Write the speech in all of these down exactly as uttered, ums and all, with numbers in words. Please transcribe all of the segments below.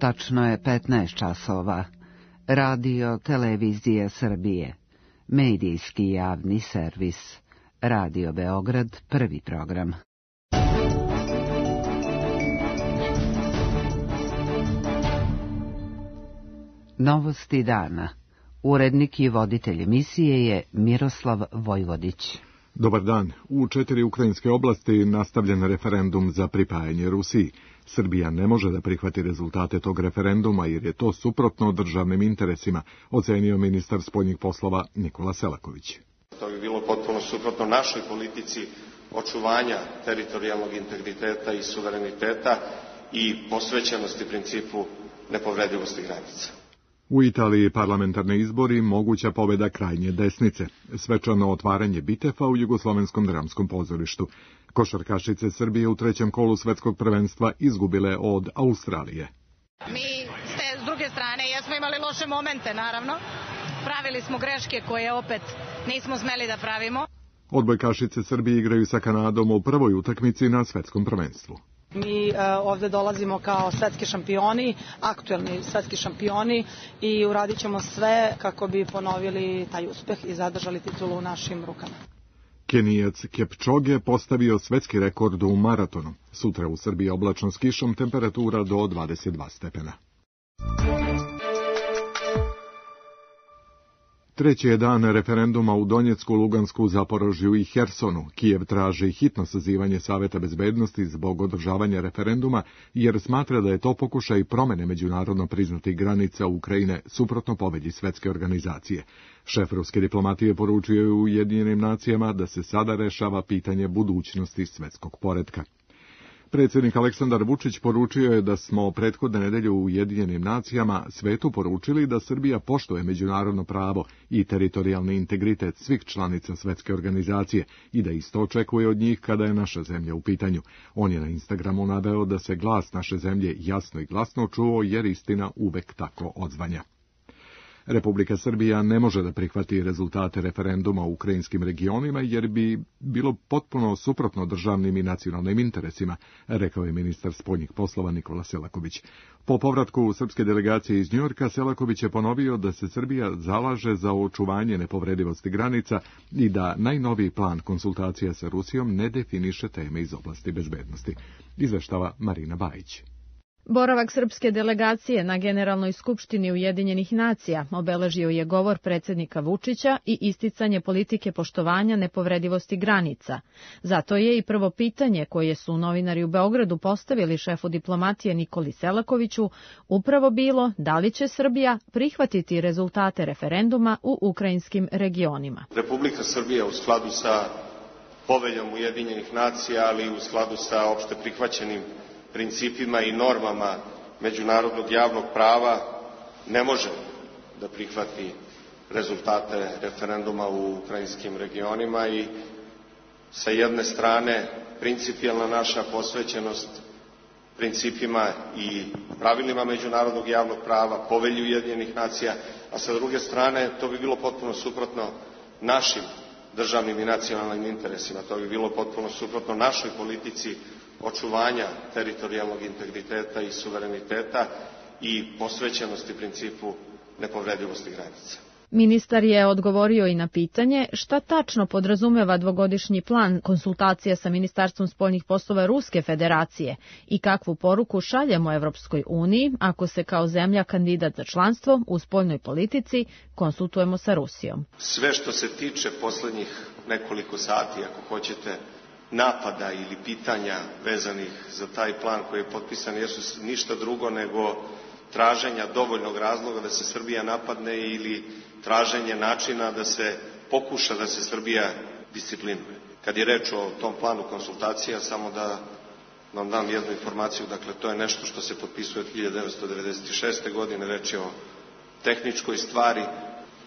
Tačno je petnaest časova. Radio Televizija Srbije. Medijski javni servis. Radio Beograd, prvi program. Novosti dana. Urednik i voditelj emisije je Miroslav Vojvodić. Dobar dan. U četiri ukrajinske oblasti nastavljen referendum za pripajanje Rusiji. Srbija ne može da prihvati rezultate tog referenduma jer je to suprotno državnim interesima, ocenio ministar spoljnih poslova Nikola Selaković. To bi bilo potpuno suprotno našoj politici očuvanja teritorijalnog integriteta i suvereniteta i posvećenosti principu nepovredivosti granica. U Italiji parlamentarni izbori, moguća pobjeda krajnje desnice, svečano otvaranje Bitefa u Jugoslovenskom dramskom pozorištu. Košarkašice Srbije u trećem kolu svetskog prvenstva izgubile od Australije. Mi s druge strane jesmo imali loše momente, naravno. Pravili smo greške koje opet nismo smeli da pravimo. Odbojkašice Srbije igraju sa Kanadom u prvoj utakmici na svetskom prvenstvu. Mi uh, ovdje dolazimo kao svetski šampioni, aktuelni svetski šampioni i uradit ćemo sve kako bi ponovili taj uspeh i zadržali titulu u našim rukama. Kenijac Kepčoge postavio svetski rekord u maratonu. Sutra u Srbiji oblačno s kišom, temperatura do dvadeset dva stepena. Treći je dan referenduma u Donjecku, Lugansku, Zaporožju i Hersonu. Kijev traži hitno sazivanje Saveta bezbednosti zbog održavanja referenduma, jer smatra da je to pokušaj promene međunarodno priznatih granica Ukrajine suprotno pobedi svetske organizacije. Šef ruske diplomatije poručio je u Ujedinjenim nacijama da se sada rešava pitanje budućnosti svetskog poretka. Predsjednik Aleksandar Vučić poručio je da smo prethodne nedelje u Ujedinjenim nacijama svetu poručili da Srbija poštuje međunarodno pravo i teritorijalni integritet svih članica svetske organizacije i da isto očekuje od njih kada je naša zemlja u pitanju. On je na Instagramu naveo da se glas naše zemlje jasno i glasno čuo jer istina uvek tako odzvanja. Republika Srbija ne može da prihvati rezultate referenduma u ukrajinskim regionima jer bi bilo potpuno suprotno državnim i nacionalnim interesima, rekao je ministar spoljnih poslova Nikola Selaković. Po povratku srpske delegacije iz Njujorka, Selaković je ponovio da se Srbija zalaže za očuvanje nepovredivosti granica i da najnoviji plan konsultacija sa Rusijom ne definiše teme iz oblasti bezbednosti. Izveštava Marina Bajić. Boravak srpske delegacije na Generalnoj skupštini Ujedinjenih nacija obeležio je govor predsjednika Vučića i isticanje politike poštovanja nepovredivosti granica. Zato je i prvo pitanje koje su novinari u Beogradu postavili šefu diplomatije Nikoli Selakoviću upravo bilo da li će Srbija prihvatiti rezultate referenduma u ukrajinskim regionima. Republika Srbija u skladu sa poveljom Ujedinjenih nacija, ali i u skladu sa opšte prihvaćenim principima i normama međunarodnog javnog prava ne može da prihvati rezultate referenduma u ukrajinskim regionima i sa jedne strane principijelna naša posvećenost principima i pravilima međunarodnog javnog prava, povelji Ujedinjenih nacija, a sa druge strane to bi bilo potpuno suprotno našim državnim i nacionalnim interesima, to bi bilo potpuno suprotno našoj politici očuvanja teritorijalnog integriteta i suvereniteta i posvećenosti principu nepovredivosti granica. Ministar je odgovorio i na pitanje šta tačno podrazumeva dvogodišnji plan konsultacija sa Ministarstvom spoljnih poslova Ruske federacije i kakvu poruku šaljemo Evropskoj uniji ako se kao zemlja kandidat za članstvo u spoljnoj politici konsultujemo sa Rusijom. Sve što se tiče poslednjih nekoliko sati, ako hoćete, napada ili pitanja vezanih za taj plan koji je potpisan jesu ništa drugo nego traženja dovoljnog razloga da se Srbija napadne ili traženje načina da se pokuša da se Srbija disciplinuje. Kad je reč o tom planu konsultacija, samo da vam dam jednu informaciju, dakle to je nešto što se potpisuje od hiljadu devetsto devedeset šeste. godine, reč je o tehničkoj stvari,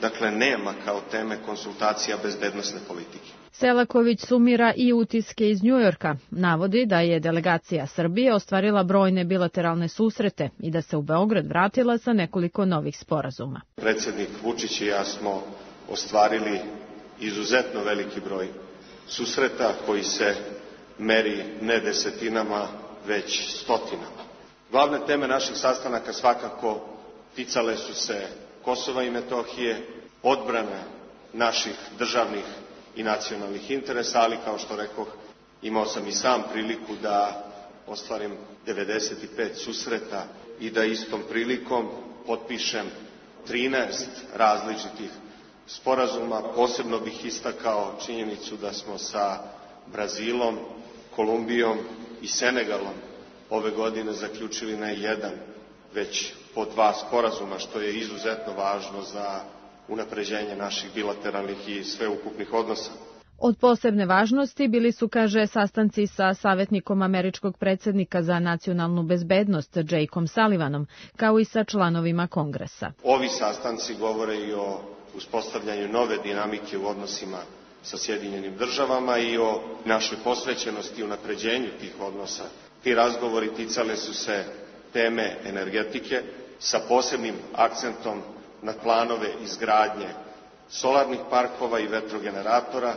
dakle nema kao teme konsultacija bezbednosne politike. Selaković sumira i utiske iz Njujorka. Navodi da je delegacija Srbije ostvarila brojne bilateralne susrete i da se u Beograd vratila sa nekoliko novih sporazuma. Predsjednik Vučić i ja smo ostvarili izuzetno veliki broj susreta koji se meri ne desetinama, već stotinama. Glavne teme naših sastanaka svakako ticale su se Kosova i Metohije, odbrane naših državnih i nacionalnih interesa, ali kao što rekoh, imao sam i sam priliku da ostvarim devedeset pet susreta i da istom prilikom potpišem trinaest različitih sporazuma. Posebno bih istakao činjenicu da smo sa Brazilom, Kolumbijom i Senegalom ove godine zaključili ne jedan, već po dva sporazuma, što je izuzetno važno za unapređenje naših bilateralnih i sveukupnih odnosa. Od posebne važnosti bili su, kaže, sastanci sa savjetnikom američkog predsjednika za nacionalnu bezbednost Jakeom Sullivanom, kao i sa članovima Kongresa. Ovi sastanci govore i o uspostavljanju nove dinamike u odnosima sa Sjedinjenim državama i o našoj posvećenosti i unapređenju tih odnosa. Ti razgovori ticale su se teme energetike sa posebnim akcentom na planove izgradnje solarnih parkova i vetrogeneratora,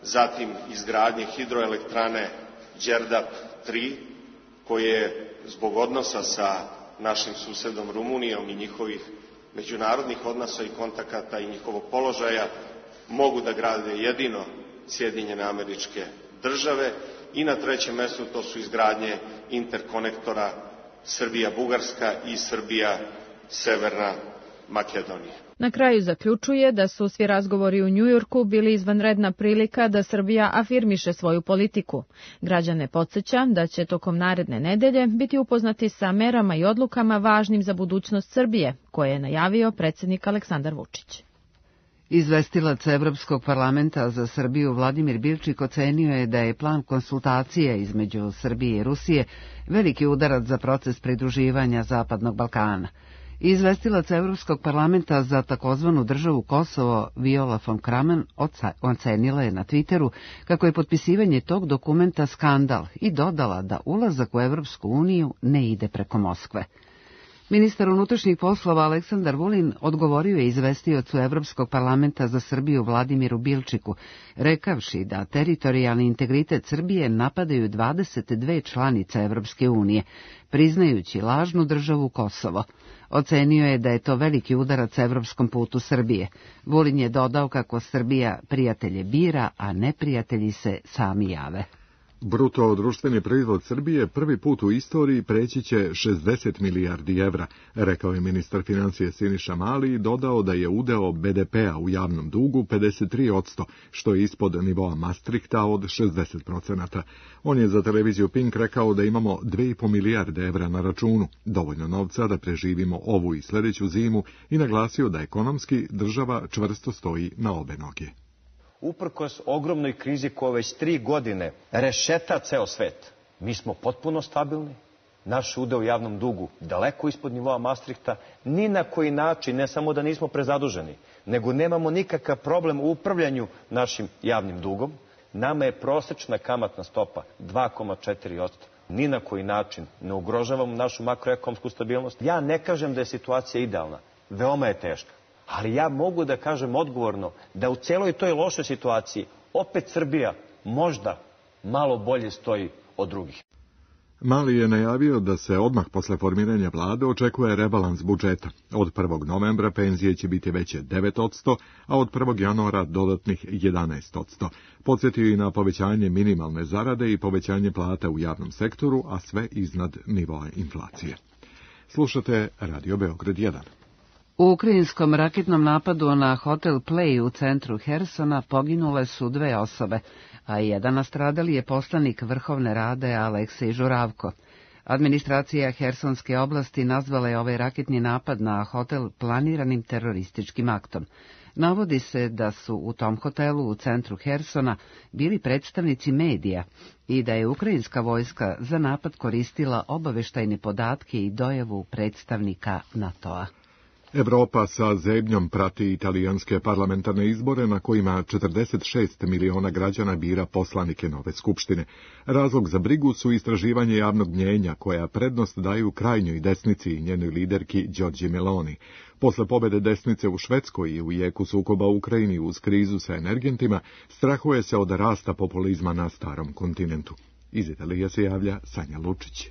zatim izgradnje hidroelektrane Đerdap tri, koje zbog odnosa sa našim susedom Rumunijom i njihovih međunarodnih odnosa i kontakata i njihovog položaja mogu da grade jedino Sjedinjene Američke Države, i na trećem mestu to su izgradnje interkonektora Srbija-Bugarska i Srbija-Severna Makedonija. Na kraju zaključuje da su svi razgovori u Njujorku bili izvanredna prilika da Srbija afirmiše svoju politiku. Građane podsjeća da će tokom naredne nedelje biti upoznati sa merama i odlukama važnim za budućnost Srbije, koje je najavio predsjednik Aleksandar Vučić. Izvestilac Evropskog parlamenta za Srbiju Vladimir Bilčik ocenio je da je plan konsultacije između Srbije i Rusije veliki udarac za proces pridruživanja Zapadnog Balkana. Izvestilac Evropskog parlamenta za takozvanu državu Kosovo Viola von Kramon ocenila je na Twitteru kako je potpisivanje tog dokumenta skandal i dodala da ulazak u Evropsku uniju ne ide preko Moskve. Ministar unutrašnjih poslova Aleksandar Vulin odgovorio je izvestiocu Evropskog parlamenta za Srbiju Vladimiru Bilčiku, rekavši da teritorijalni integritet Srbije napadaju dvadeset dve članice Evropske unije, priznajući lažnu državu Kosovo. Ocenio je da je to veliki udarac evropskom putu Srbije. Vulin je dodao kako Srbija prijatelje bira, a neprijatelji se sami jave. Bruto društveni proizvod Srbije prvi put u istoriji preći će šezdeset milijardi evra, rekao je ministar financije Siniša Mali i dodao da je udeo be de pea u javnom dugu pedeset tri posto, što je ispod nivoa Maastrichta od šezdeset posto. On je za televiziju Pink rekao da imamo dve i po milijarde evra na računu, dovoljno novca da preživimo ovu i sljedeću zimu, i naglasio da ekonomski država čvrsto stoji na obe noge. Uprkos ogromnoj krizi koja već tri godine rešeta ceo svet, mi smo potpuno stabilni, naš udeo u javnom dugu daleko ispod nivoa Maastrichta, ni na koji način, ne samo da nismo prezaduženi, nego nemamo nikakav problem u upravljanju našim javnim dugom. Nama je prosečna kamatna stopa dva zarez četiri posto. Ni na koji način ne ugrožavamo našu makroekonomsku stabilnost. Ja ne kažem da je situacija idealna, veoma je teška. Ali ja mogu da kažem odgovorno da u celoj toj lošoj situaciji opet Srbija možda malo bolje stoji od drugih. Mali je najavio da se odmah posle formiranja vlade očekuje rebalans budžeta. Od prvog novembra penzije će biti veće devet posto, a od prvog januara dodatnih jedanaest posto. Podsjetio i na povećanje minimalne zarade i povećanje plata u javnom sektoru, a sve iznad nivoa inflacije. Slušate Radio Beograd jedan. U ukrajinskom raketnom napadu na hotel Play u centru Hersona poginule su dve osobe, a jedan nastradali je poslanik Vrhovne Rade Aleksej Žuravko. Administracija Hersonske oblasti nazvala je ovaj raketni napad na hotel planiranim terorističkim aktom. Navodi se da su u tom hotelu u centru Hersona bili predstavnici medija i da je ukrajinska vojska za napad koristila obaveštajne podatke i dojavu predstavnika NATO-a. Evropa sa zebnjom prati italijanske parlamentarne izbore na kojima četrdeset šest miliona građana bira poslanike nove skupštine. Razlog za brigu su istraživanje javnog mnjenja koja prednost daju krajnjoj desnici i njenoj liderki Giorgi Meloni. Posle pobede desnice u Švedskoj i u jeku sukoba u Ukrajini uz krizu sa energentima, strahuje se od rasta populizma na starom kontinentu. Iz Italije se javlja Sanja Lučić.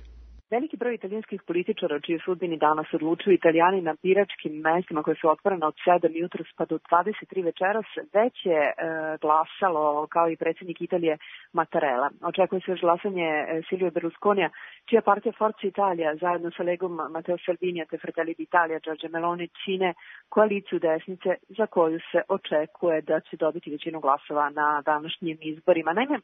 Veliki broj italijanskih političara, čiji sudbini danas odlučuju Italijani na biračkim mestima koje su otvorene od sedam jutros pa do dvadeset tri večeras, već je e, glasalo kao i predsjednik Italije Mattarella. Očekuje se još glasanje Silvio Berlusconija, čija partija Forza Italia zajedno sa Legom Matteo Salvini te Fratelli d'Italia Giorgia Meloni čine koaliciju desnice za koju se očekuje da će dobiti većinu glasova na današnjim izborima. Naime,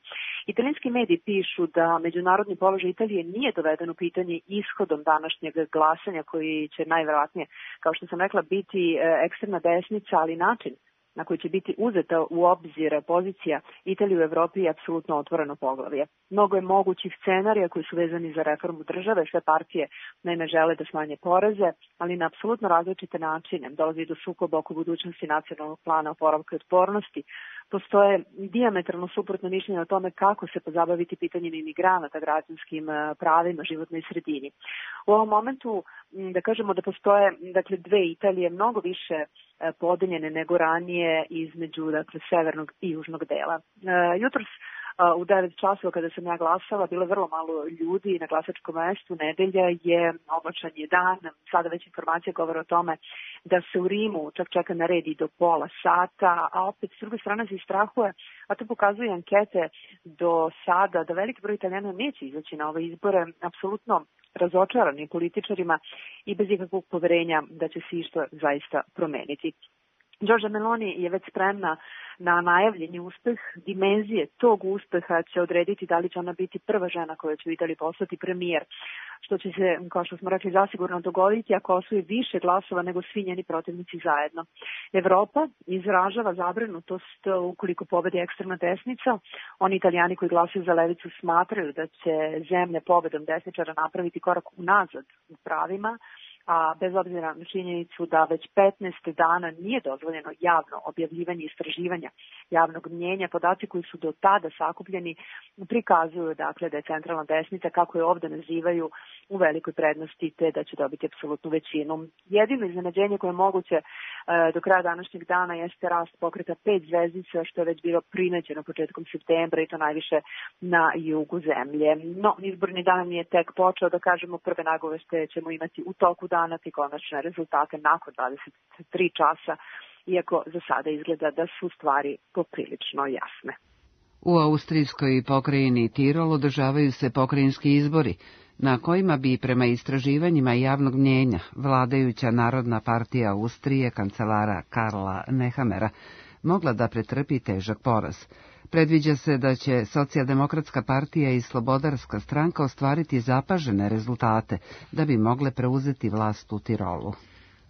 italijanski mediji pišu da međunarodni položaj Italije nije doveden u pitanje ishodom današnjeg glasanja koji će najverovatnije, kao što sam rekla, biti ekstremna desnica, ali način na koji će biti uzeta u obzir pozicija Italije u Evropi je apsolutno otvoreno poglavlje. Mnogo je mogućih scenarija koji su vezani za reformu države, sve partije naime žele da smanje poreze, ali na apsolutno različite načine. Dolazi do sukoba oko budućnosti nacionalnog plana oporavka i otpornosti. Postoje dijametralno suprotno mišljenje o tome kako se pozabaviti pitanjem imigranata, građanskim pravima, životnoj sredini. U ovom momentu, da kažemo da postoje dakle, dve Italije mnogo više podeljene nego ranije između dakle, severnog i južnog dela. Jutros u devet časova kada sam ja glasala, bilo je vrlo malo ljudi na glasačkom mestu, nedelja je, oblačan je dan, sada već informacija govore o tome da se u Rimu čak čeka na red i do pola sata, a opet s druge strane se istrahuje, a to pokazuju ankete do sada, da veliki broj Italijana neće izaći na ove izbore, apsolutno razočarani političarima i bez ikakvog poverenja da će se išto zaista promeniti. Giorgia Meloni je već spremna na najavljeni uspeh. Dimenzije tog uspeha će odrediti da li će ona biti prva žena koja će u Italiji postati premijer, što će se, kao što smo rekli, zasigurno dogoditi ako osvoji više glasova nego svi njeni protivnici zajedno. Evropa izražava zabrinutost ukoliko pobedi ekstremna desnica. Oni Italijani koji glasaju za levicu smatraju da će zemlja pobedom desničara napraviti korak unazad u pravima, a bez obzira na činjenicu da već petnaest dana nije dozvoljeno javno objavljivanje istraživanja javnog mnjenja, podaci koji su do tada sakupljeni prikazuju dakle da je centralna desnica, kako je ovde nazivaju, u velikoj prednosti te da će dobiti apsolutnu većinu. Jedino iznenađenje koje je moguće e, do kraja današnjeg dana jeste rast pokreta pet zvezdica, što je već bilo primećeno početkom septembra i to najviše na jugu zemlje. No, izborni dan je tek počeo, da kažemo, prve nagoveštaje ćemo imati u toku dana i konačne rezultate nakon dvadeset tri časa, iako za sada izgleda da su stvari poprilično jasne. U austrijskoj pokrajini Tirol održavaju se pokrajinski izbori, na kojima bi prema istraživanjima javnog mnjenja vladajuća Narodna partija Austrije kancelara Karla Nehamera mogla da pretrpi težak poraz. Predviđa se da će Socijaldemokratska partija i Slobodarska stranka ostvariti zapažene rezultate da bi mogle preuzeti vlast u Tirolu.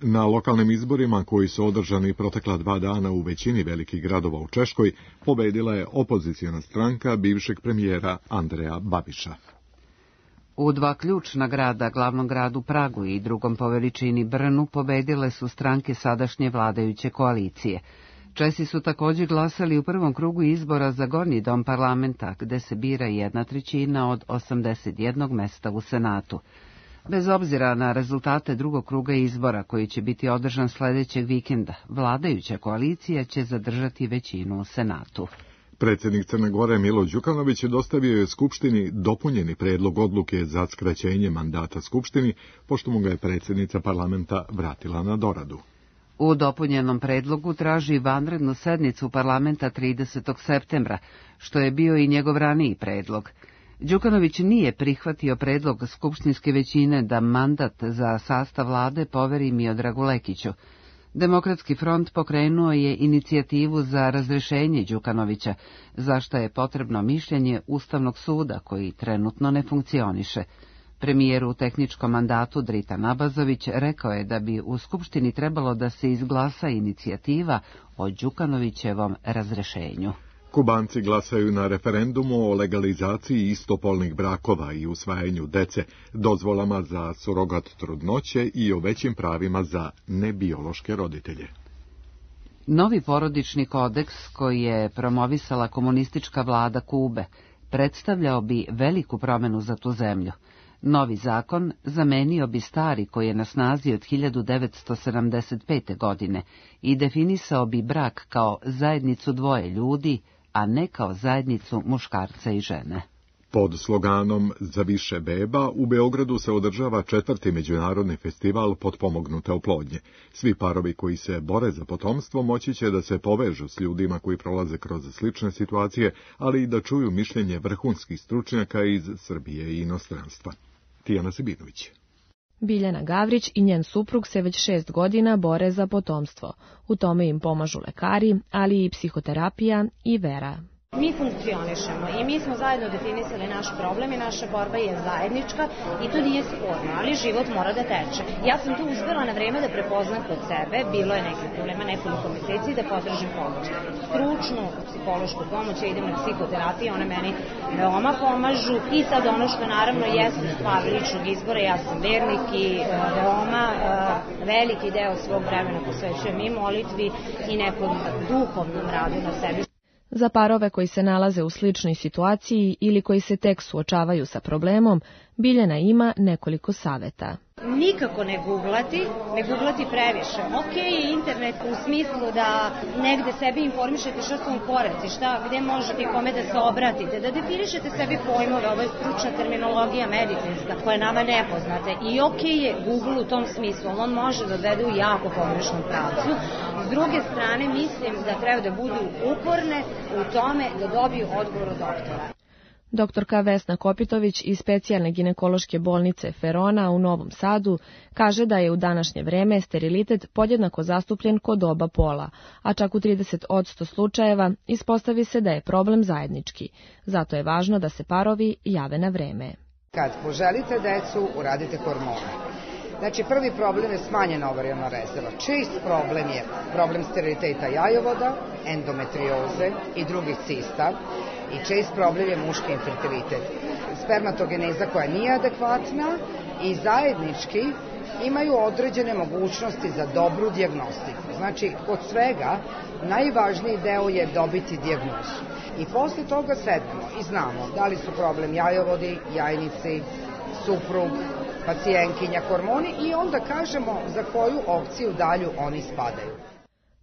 Na lokalnim izborima koji su održani protekla dva dana u većini velikih gradova u Češkoj pobedila je opoziciona stranka bivšeg premijera Andreja Babiša. U dva ključna grada, glavnom gradu Pragu i drugom po veličini Brnu, pobedile su stranke sadašnje vladajuće koalicije. Česi su također glasali u prvom krugu izbora za Gornji dom parlamenta, gde se bira jedna trećina od osamdeset jednog mesta u Senatu. Bez obzira na rezultate drugog kruga izbora, koji će biti održan sljedećeg vikenda, vladajuća koalicija će zadržati većinu u Senatu. Predsjednik Crne Gore Milo Đukanović dostavio je Skupštini dopunjeni predlog odluke za skraćenje mandata Skupštini, pošto mu ga je predsjednica parlamenta vratila na doradu. U dopunjenom predlogu traži vanrednu sednicu parlamenta tridesetog septembra, što je bio i njegov raniji predlog. Đukanović nije prihvatio predlog skupštinske većine da mandat za sastav vlade poveri Miodragu Lekiću. Demokratski front pokrenuo je inicijativu za razrešenje Đukanovića, za što je potrebno mišljenje Ustavnog suda, koji trenutno ne funkcioniše. Premijer u tehničkom mandatu Dritan Abazović rekao je da bi u Skupštini trebalo da se izglasa inicijativa o Đukanovićevom razrešenju. Kubanci glasaju na referendumu o legalizaciji istopolnih brakova i usvajanju dece, dozvolama za surogat trudnoće i o većim pravima za nebiološke roditelje. Novi porodični kodeks, koji je promovisala komunistička vlada Kube, predstavljao bi veliku promenu za tu zemlju. Novi zakon zamenio bi stari koji je na snazi od hiljadu devetsto sedamdeset pete. godine i definisao bi brak kao zajednicu dvoje ljudi, a ne kao zajednicu muškarca i žene. Pod sloganom Za više beba u Beogradu se održava četvrti međunarodni festival potpomognute oplodnje. Svi parovi koji se bore za potomstvo moći će da se povežu s ljudima koji prolaze kroz slične situacije, ali i da čuju mišljenje vrhunskih stručnjaka iz Srbije i inostranstva. Tijana Sibinović. Biljana Gavrić i njen suprug se već šest godina bore za potomstvo. U tome im pomažu lekari, ali i psihoterapija i vera. Mi funkcionišemo i mi smo zajedno definisali naš problem i naša borba je zajednička i to nije sporno, ali život mora da teče. Ja sam tu uspela na vreme da prepoznam kod sebe, bilo je nekih problema nekoliko meseci da potražim pomoć. Stručnu psihološku pomoć, ja idem na psihoterapiju, one meni veoma pomažu i sad ono što naravno jeste stvar ličnog izbora, ja sam vernik i veoma veliki deo svog vremena posvećujem i molitvi i nekom duhovnom radu na sebi. Za parove koji se nalaze u sličnoj situaciji ili koji se tek suočavaju sa problemom, Biljana ima nekoliko saveta. Nikako ne googlati, ne googlati previše. Ok je internet u smislu da negde sebi informišete šta su vam koraci, šta, gde možete i kome da se obratite, da definišete sebi pojmove, ovo je stručna terminologija medicinska koja je nama nepoznate. I ok je Google u tom smislu, on može da odvede u jako pogrešnom pravcu. S druge strane, mislim da treba da budu uporne u tome da dobiju odgovor od doktora. Doktorka Vesna Kopitović iz specijalne ginekološke bolnice Ferona u Novom Sadu kaže da je u današnje vreme sterilitet podjednako zastupljen kod oba pola, a čak u trideset posto slučajeva ispostavi se da je problem zajednički. Zato je važno da se parovi jave na vreme. Kad poželite decu, uradite hormone. Znači, prvi problem je smanjena ovarijalna rezerva. Čest problem je problem steriliteta jajovoda, endometrioze i drugih cista. I čest problem je muški infertilitet. Spermatogeneza koja nije adekvatna i zajednički imaju određene mogućnosti za dobru dijagnostiku. Znači, kod svega najvažniji deo je dobiti dijagnozu. I posle toga sednemo i znamo da li su problem jajovodi, jajnici, suprug, pacijentkinja, hormoni i onda kažemo za koju opciju dalju oni spadaju.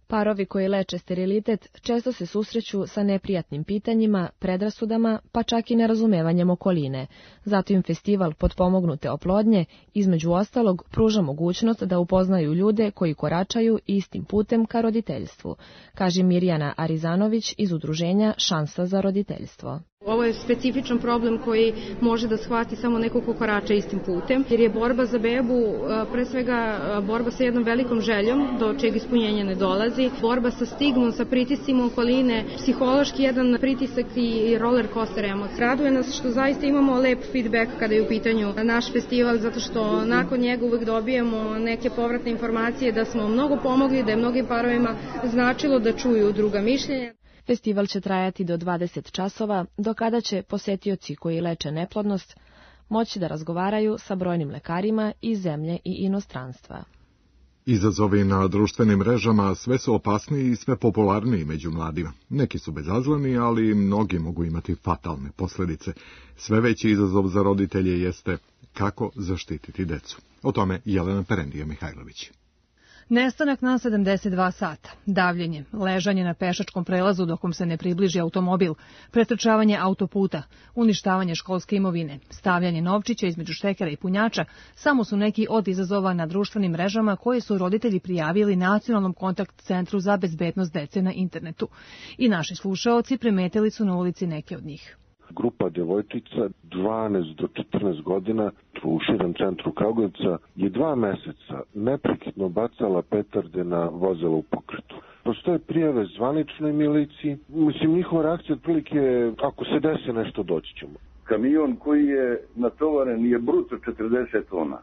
Parovi koji leče sterilitet često se susreću sa neprijatnim pitanjima, predrasudama, pa čak i nerazumevanjem okoline. Zato im festival potpomognute oplodnje, između ostalog, pruža mogućnost da upoznaju ljude koji koračaju istim putem ka roditeljstvu, kaže Mirjana Arizanović iz udruženja Šansa za roditeljstvo. Ovo je specifičan problem koji može da shvati samo neko ko korača istim putem, jer je borba za bebu pre svega borba sa jednom velikom željom, do čeg ispunjenja ne dolazi, borba sa stigmom, sa pritiscima okoline, psihološki jedan pritisak i roller coaster emocija. Raduje nas što zaista imamo lep feedback kada je u pitanju naš festival, zato što nakon njega uvek dobijemo neke povratne informacije da smo mnogo pomogli, da je mnogim parovima značilo da čuju druga mišljenja. Festival će trajati do dvadeset časova, do kada će posetioci koji leče neplodnost moći da razgovaraju sa brojnim lekarima iz zemlje i inostranstva. Izazovi na društvenim mrežama sve su opasniji i sve popularniji među mladima. Neki su bezazleni, ali mnogi mogu imati fatalne posljedice. Sve veći izazov za roditelje jeste kako zaštititi decu. O tome Jelena Perendija Mihajlović. Nestanak na sedamdeset dva sata, davljenje, ležanje na pešačkom prelazu dokom se ne približi automobil, pretrčavanje autoputa, uništavanje školske imovine, stavljanje novčića između štekera i punjača samo su neki od izazova na društvenim mrežama koje su roditelji prijavili Nacionalnom kontakt centru za bezbednost dece na internetu. I naši slušaoci primetili su na ulici neke od njih. Grupa djevojčica dvanaest do četrnaest godina u širem centru Kragujevca je dva meseca neprekidno bacala petarde na vozila u pokretu. Postoje prijave zvaničnoj miliciji. Mislim, njihova reakcija otprilike ako se desi nešto doći ćemo. Kamion koji je natovaren je bruto četrdeset tona.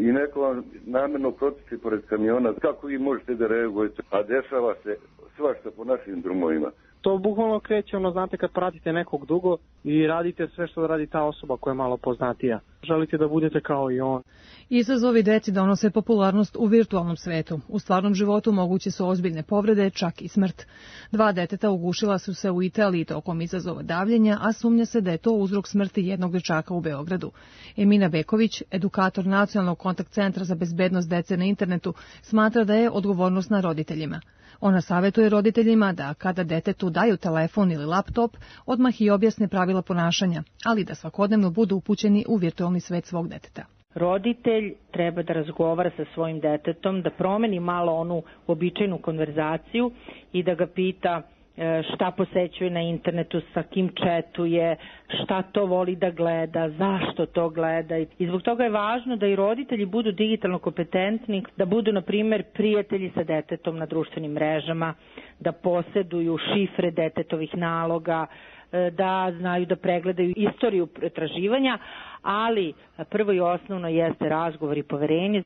I neko vam namjerno protiče pored kamiona. Kako vi možete da reagujete? A dešava se svašta po našim drumovima. To bukvalno kreće, ono, znate, kad pratite nekog dugo i radite sve što radi ta osoba koja je malo poznatija. Želite da budete kao i on. Izazovi deci donose popularnost u virtualnom svetu. U stvarnom životu moguće su ozbiljne povrede, čak i smrt. Dva deteta ugušila su se u Italiji tokom izazova davljenja, a sumnja se da je to uzrok smrti jednog dečaka u Beogradu. Emina Beković, edukator Nacionalnog kontakt centra za bezbednost dece na internetu, smatra da je odgovornost na roditeljima. Ona savjetuje roditeljima da kada detetu daju telefon ili laptop, odmah i objasne pravila ponašanja, ali da svakodnevno budu upućeni u virtualni svet svog deteta. Roditelj treba da razgovara sa svojim detetom, da promeni malo onu običajnu konverzaciju i da ga pita šta posećuje na internetu, sa kim četuje, šta to voli da gleda, zašto to gleda. I zbog toga je važno da i roditelji budu digitalno kompetentni, da budu, na primjer, prijatelji sa detetom na društvenim mrežama, da posjeduju šifre detetovih naloga, da znaju da pregledaju istoriju pretraživanja, ali prvo i osnovno jeste razgovor i poverenje.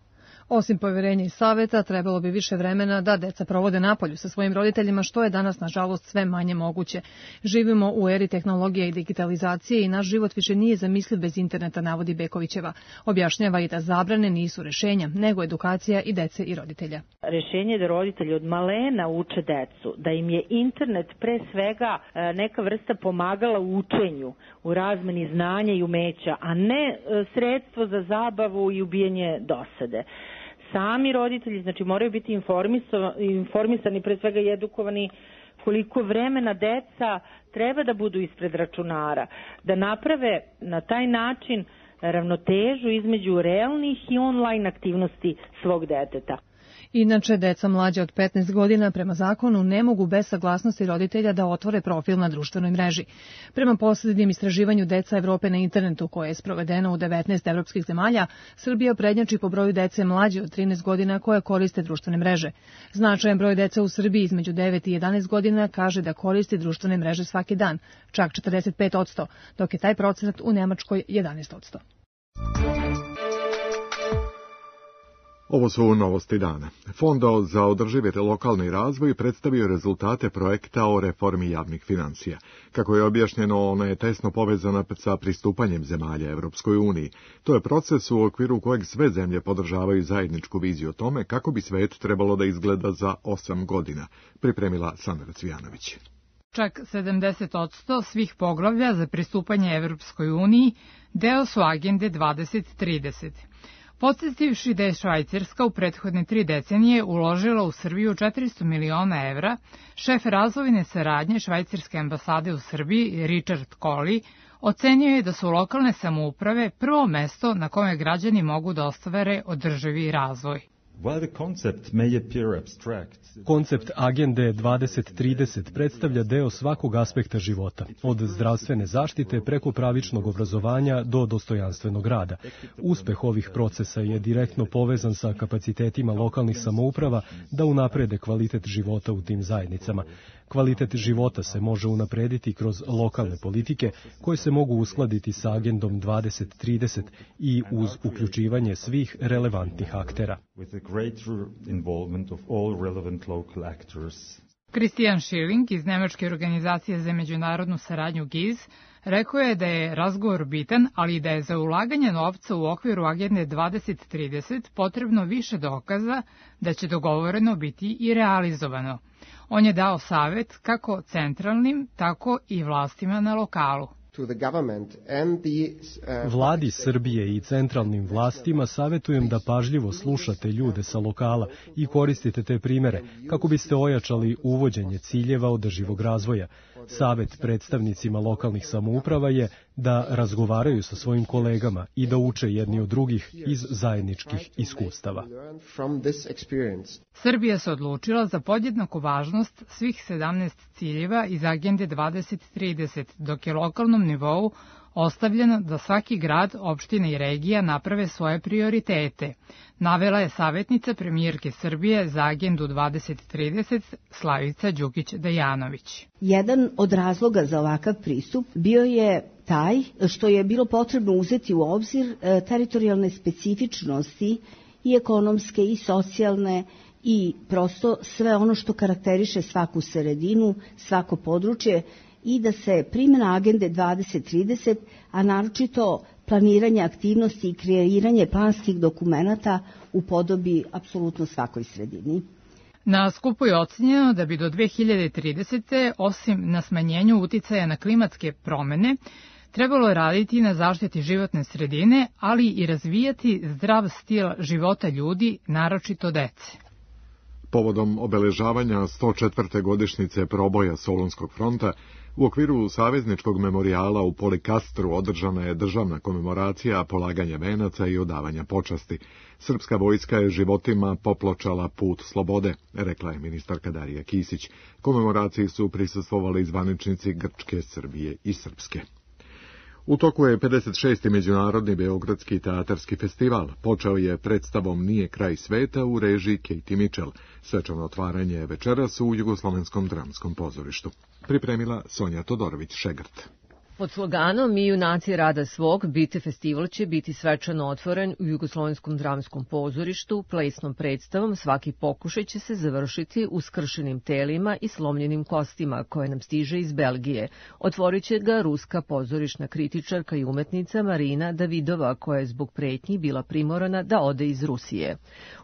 Osim poverenja i saveta, trebalo bi više vremena da deca provode napolju sa svojim roditeljima, što je danas, nažalost, sve manje moguće. Živimo u eri tehnologije i digitalizacije i naš život više nije zamisliv bez interneta, navodi Bekovićeva. Objašnjava i da zabrane nisu rešenja, nego edukacija i dece i roditelja. Rešenje je da roditelji od malena uče decu, da im je internet pre svega neka vrsta pomagala u učenju, u razmeni znanja i umeća, a ne sredstvo za zabavu i ubijanje dosade. Sami roditelji, znači, moraju biti informisani, pre svega i edukovani koliko vremena deca treba da budu ispred računara, da naprave na taj način ravnotežu između realnih i online aktivnosti svog deteta. Inače, deca mlađe od petnaest godina prema zakonu ne mogu bez saglasnosti roditelja da otvore profil na društvenoj mreži. Prema posljednjem istraživanju Deca Evrope na internetu, koje je sprovedeno u devetnaest evropskih zemalja, Srbija prednjači po broju dece mlađe od trinaest godina koje koriste društvene mreže. Značajan broj dece u Srbiji između devet i jedanaest godina kaže da koristi društvene mreže svaki dan, čak četrdeset pet posto, dok je taj procenat u Nemačkoj jedanaest posto. Ovo su novosti dana. Fond za održivi lokalni razvoj predstavio rezultate projekta o reformi javnih financija. Kako je objašnjeno, ona je tesno povezana sa pristupanjem zemalja Evropskoj uniji. To je proces u okviru kojeg sve zemlje podržavaju zajedničku viziju o tome kako bi svet trebalo da izgleda za osam godina, pripremila Sandra Cvijanović. Čak sedamdeset posto svih poglavlja za pristupanje Evropskoj uniji deo su agende dvadeset trideset. Podsjetivši da je Švajcarska u prethodne tri decenije uložila u Srbiju četiristo miliona evra, šef razvojne saradnje Švajcarske ambasade u Srbiji, Richard Colley, ocenio je da su lokalne samouprave prvo mesto na kome građani mogu da ostvare održivi razvoj. Koncept agende dvadeset trideset predstavlja deo svakog aspekta života, od zdravstvene zaštite preko pravičnog obrazovanja do dostojanstvenog rada. Uspeh ovih procesa je direktno povezan sa kapacitetima lokalnih samouprava da unaprede kvalitet života u tim zajednicama. Kvalitet života se može unaprediti kroz lokalne politike koje se mogu uskladiti sa agendom dvadeset trideset i uz uključivanje svih relevantnih aktera. Christian Schilling iz Nemačke organizacije za međunarodnu saradnju G I Z rekao je da je razgovor bitan, ali da je za ulaganje novca u okviru agende dvadeset trideset potrebno više dokaza da će dogovoreno biti i realizovano. On je dao savjet kako centralnim, tako i vlastima na lokalu. Vladi Srbije i centralnim vlastima savjetujem da pažljivo slušate ljude sa lokala i koristite te primere kako biste ojačali uvođenje ciljeva održivog razvoja. Savjet predstavnicima lokalnih samouprava je da razgovaraju sa svojim kolegama i da uče jedni od drugih iz zajedničkih iskustava. Srbija se odlučila za podjednaku važnost svih sedamnaest ciljeva iz agende dvadeset trideset, dok je lokalnom nivou ostavljeno da svaki grad, opština i regija naprave svoje prioritete, navela je savjetnica premijerke Srbije za agendu dvadeset trideset Slavica Đukić-Dejanović. Jedan od razloga za ovakav pristup bio je taj što je bilo potrebno uzeti u obzir teritorijalne specifičnosti i ekonomske i socijalne i prosto sve ono što karakteriše svaku sredinu, svako područje, i da se primjena agende dvadeset trideset, a naročito planiranje aktivnosti i kreiranje planskih dokumenata upodobi apsolutno svakoj sredini. Na skupu je ocenjeno da bi do dve hiljade tridesete. osim na smanjenju uticaja na klimatske promene, trebalo je raditi na zaštiti životne sredine, ali i razvijati zdrav stil života ljudi, naročito dece. Povodom obeležavanja sto četvrte godišnjice proboja Solunskog fronta, u okviru Savezničkog memorijala u Polikastru održana je državna komemoracija polaganja venaca i odavanja počasti. Srpska vojska je životima popločala put slobode, rekla je ministarka Darija Kisić. Komemoraciji su prisustvovali zvaničnici Grčke, Srbije i Srpske. U toku je pedeset šesti Međunarodni Beogradski teatarski festival. Počeo je predstavom Nije kraj sveta u režiji Katie Mitchell. Svečano otvaranje večeras u Jugoslovenskom dramskom pozorištu. Pripremila Sonja Todorović-Šegrt. Pod sloganom Mi junaci rada svog, Bite festival će biti svečano otvoren u Jugoslovenskom dramskom pozorištu, plesnom predstavom. Svaki pokušaj će se završiti uskršenim telima i slomljenim kostima koje nam stiže iz Belgije. Otvorit će ga ruska pozorišna kritičarka i umetnica Marina Davidova, koja je zbog pretnji bila primorana da ode iz Rusije.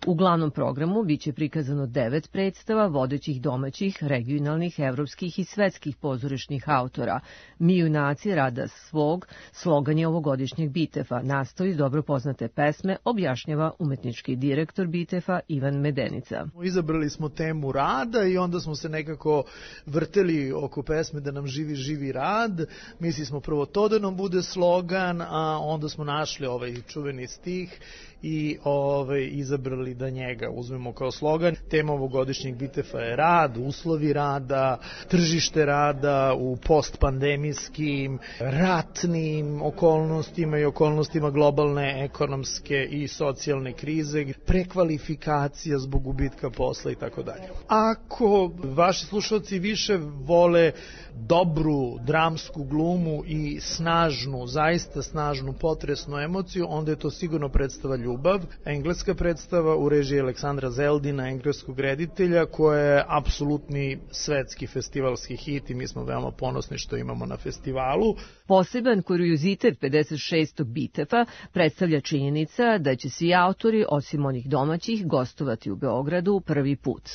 U glavnom programu biće prikazano devet predstava vodećih domaćih, regionalnih, evropskih i svetskih pozorišnih autora. Mi junaci rada svog, slogan je ovogodišnjeg Bitefa. Nastoji dobro poznate pesme, objašnjava umetnički direktor Bitefa Ivan Medenica. Izabrali smo temu rada i onda smo se nekako vrteli oko pesme da nam živi, živi rad. Mislili smo prvo to da nam bude slogan, a onda smo našli ovaj čuveni stih i ovaj, izabrali da njega uzmemo kao slogan. Tema ovogodišnjeg Bitefa je rad, uslovi rada, tržište rada u postpandemijskim, ratnim okolnostima i okolnostima globalne ekonomske i socijalne krize, prekvalifikacija zbog gubitka posla i tako dalje. Ako vaši slušalci više vole dobru dramsku glumu i snažnu, zaista snažnu, potresnu emociju, onda je to sigurno predstava Ljubav, engleska predstava u režiji Aleksandra Zeldina, engleskog reditelja, koja je apsolutni svetski festivalski hit i mi smo veoma ponosni što imamo na festivalu. Poseban kuriozitet pedeset šestog Bitefa predstavlja činjenica da će svi autori, osim onih domaćih, gostovati u Beogradu prvi put.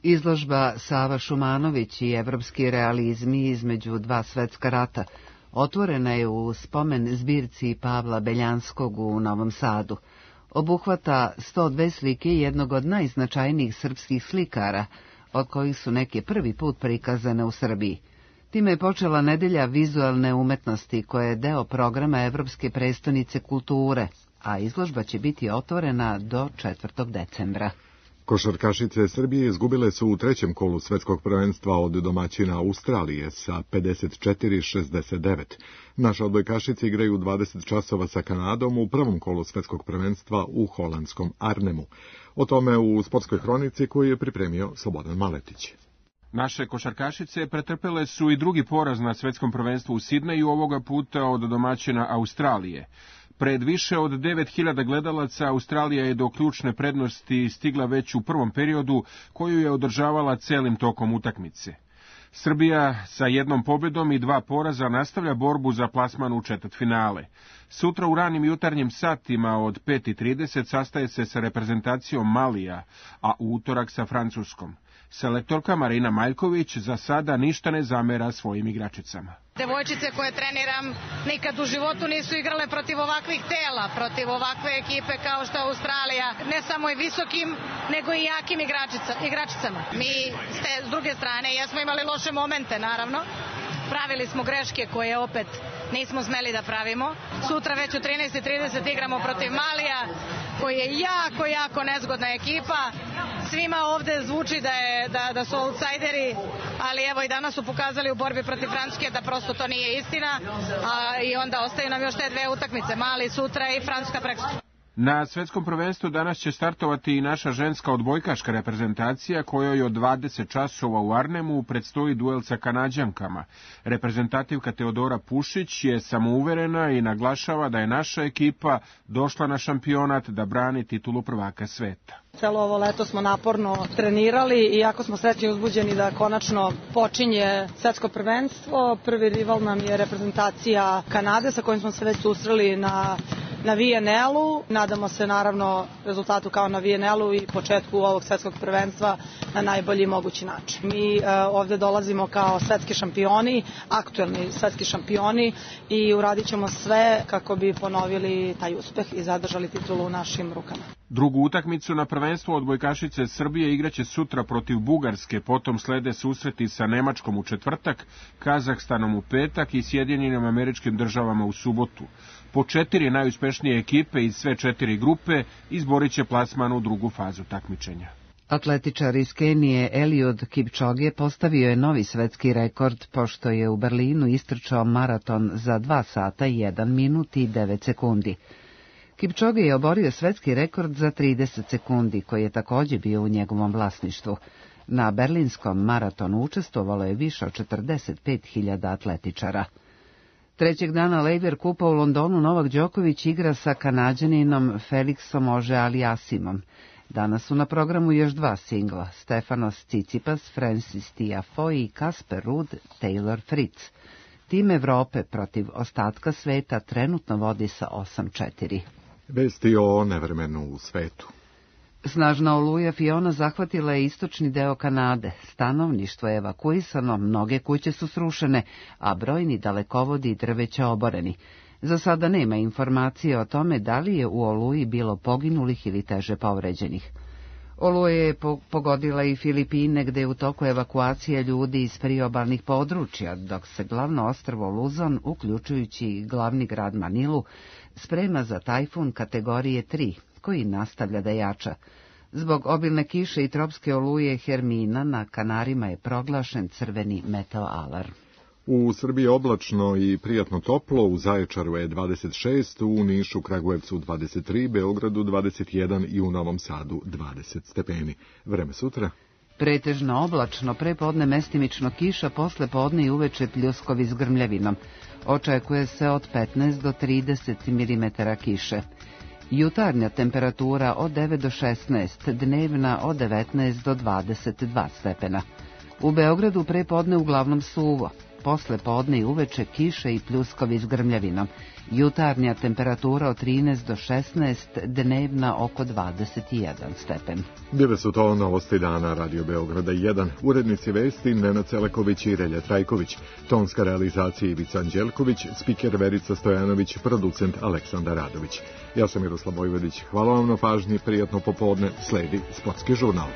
Izložba Sava Šumanović i evropski realizmi između dva svetska rata otvorena je u spomen zbirci Pavla Beljanskog u Novom Sadu. Obuhvata sto dve slike jednog od najznačajnijih srpskih slikara, od kojih su neke prvi put prikazane u Srbiji. Time je počela nedelja vizualne umetnosti, koja je deo programa Evropske prestonice kulture, a izložba će biti otvorena do četvrtog decembra. Košarkašice Srbije izgubile su u trećem kolu svetskog prvenstva od domaćina Australije sa pedeset četiri šezdeset devet. Naše odbojkašice igraju dvadeset časova sa Kanadom u prvom kolu svetskog prvenstva u holandskom Arnhemu. O tome u sportskoj hronici koju je pripremio Slobodan Maletić. Naše košarkašice pretrpele su i drugi poraz na svetskom prvenstvu u Sidneju, ovoga puta od domaćina Australije. Pred više od devet hiljada gledalaca Australija je do ključne prednosti stigla već u prvom periodu, koju je održavala celim tokom utakmice. Srbija sa jednom pobjedom i dva poraza nastavlja borbu za plasman u četvrtfinale. Sutra u ranim jutarnjim satima od pet i trideset sastaje se sa reprezentacijom Malija, a u utorak sa Francuskom. Selektorka Marina Maljković za sada ništa ne zamera svojim igračicama. Devojčice koje treniram nikad u životu nisu igrale protiv ovakvih tela, protiv ovakve ekipe kao što je Australija, ne samo i visokim, nego i jakim igračica, igračicama. Mi ste, s druge strane, jesmo imali loše momente, naravno. Pravili smo greške koje opet nismo smeli da pravimo. Sutra već u trinaest i trideset igramo protiv Malija, koji je jako, jako nezgodna ekipa. Svima ovde zvuči da, je, da, da su outsideri, ali evo i danas su pokazali u borbi protiv Francuske da prosto to nije istina. A, i onda ostaju nam još te dve utakmice, Mali sutra i Francuska prekosutra. Na svetskom prvenstvu danas će startovati i naša ženska odbojkaška reprezentacija, kojoj od dvadeset časova u Arnhemu predstoji duel sa Kanađankama. Reprezentativka Teodora Pušić je samouverena i naglašava da je naša ekipa došla na šampionat da brani titulu prvaka sveta. Celo ovo leto smo naporno trenirali i jako smo srećni i uzbuđeni da konačno počinje svetsko prvenstvo. Prvi rival nam je reprezentacija Kanade sa kojim smo se već susreli na na V N L-u. Nadamo se naravno rezultatu kao na V N L-u i početku ovog svetskog prvenstva na najbolji mogući način. Mi uh, ovde dolazimo kao svetski šampioni, aktuelni svetski šampioni i uradit ćemo sve kako bi ponovili taj uspeh i zadržali titulu u našim rukama. Drugu utakmicu na prvenstvu odbojkašice Srbije igraće sutra protiv Bugarske, potom slede susreti sa Nemačkom u četvrtak, Kazahstanom u petak i Sjedinjenim Američkim Državama u subotu. Po četiri najuspešnije ekipe iz sve četiri grupe izborit će plasman u drugu fazu takmičenja. Atletičar iz Kenije Eliud Kipchoge postavio je novi svetski rekord pošto je u Berlinu istrčao maraton za dva sata i jedan minut i devet sekundi. Kipchoge je oborio svetski rekord za trideset sekundi, koji je također bio u njegovom vlasništvu. Na berlinskom maratonu učestvovalo je više od četrdeset pet hiljada atletičara. Trećeg dana Laver Kupa u Londonu Novak Đoković igra sa Kanađaninom Felixom Auger-Aliassimom. Danas su na programu još dva singla, Stefanos Tsitsipas, Francis Tiafoe i Kasper Ruud, Taylor Fritz. Tim Evrope protiv ostatka sveta trenutno vodi sa osam četiri. Vesti o nevremenu u svetu. Snažna oluja Fiona zahvatila je istočni deo Kanade. Stanovništvo je evakuisano, mnoge kuće su srušene, a brojni dalekovodi i drveća oboreni. Za sada nema informacije o tome da li je u oluji bilo poginulih ili teže povređenih. Oluja je pogodila i Filipine, gde je u toku evakuacije ljudi iz priobalnih područja, dok se glavno ostrvo Luzon, uključujući i glavni grad Manilu, sprema za tajfun kategorije tri, koji nastavlja da jača. Zbog obilne kiše i tropske oluje Hermina na Kanarima je proglašen crveni meteoalarm. U Srbiji oblačno i prijatno toplo, u Zaječaru je dvadeset šest, u Nišu, Kragujevcu dvadeset tri, Beogradu dvadeset jedan i u Novom Sadu dvadeset stepeni. Vreme sutra? Pretežno oblačno, prepodne mestimično kiša, posle podne i uveče pljuskovi s grmljavinom. Očekuje se od petnaest do trideset milimetara kiše. Jutarnja temperatura od devet do šesnaest, dnevna od devetnaest do dvadeset dva stepena. U Beogradu prepodne uglavnom suvo. Posle podne i uveče kiše i pljuskovi s grmljavinom. Jutarnja temperatura od trinaest do šesnaest, dnevna oko dvadeset jedan stepen. Bile su to novosti dana Radio Beograda jedan. Urednici vesti Nenad Celeković i Relja Trajković. Tonska realizacija Ivica Anđelković, spiker Verica Stojanović, producent Aleksandar Radović. Ja sam Miroslav Vojvodić. Hvala vam na pažnji, prijatno popodne, sledi Sportski žurnal.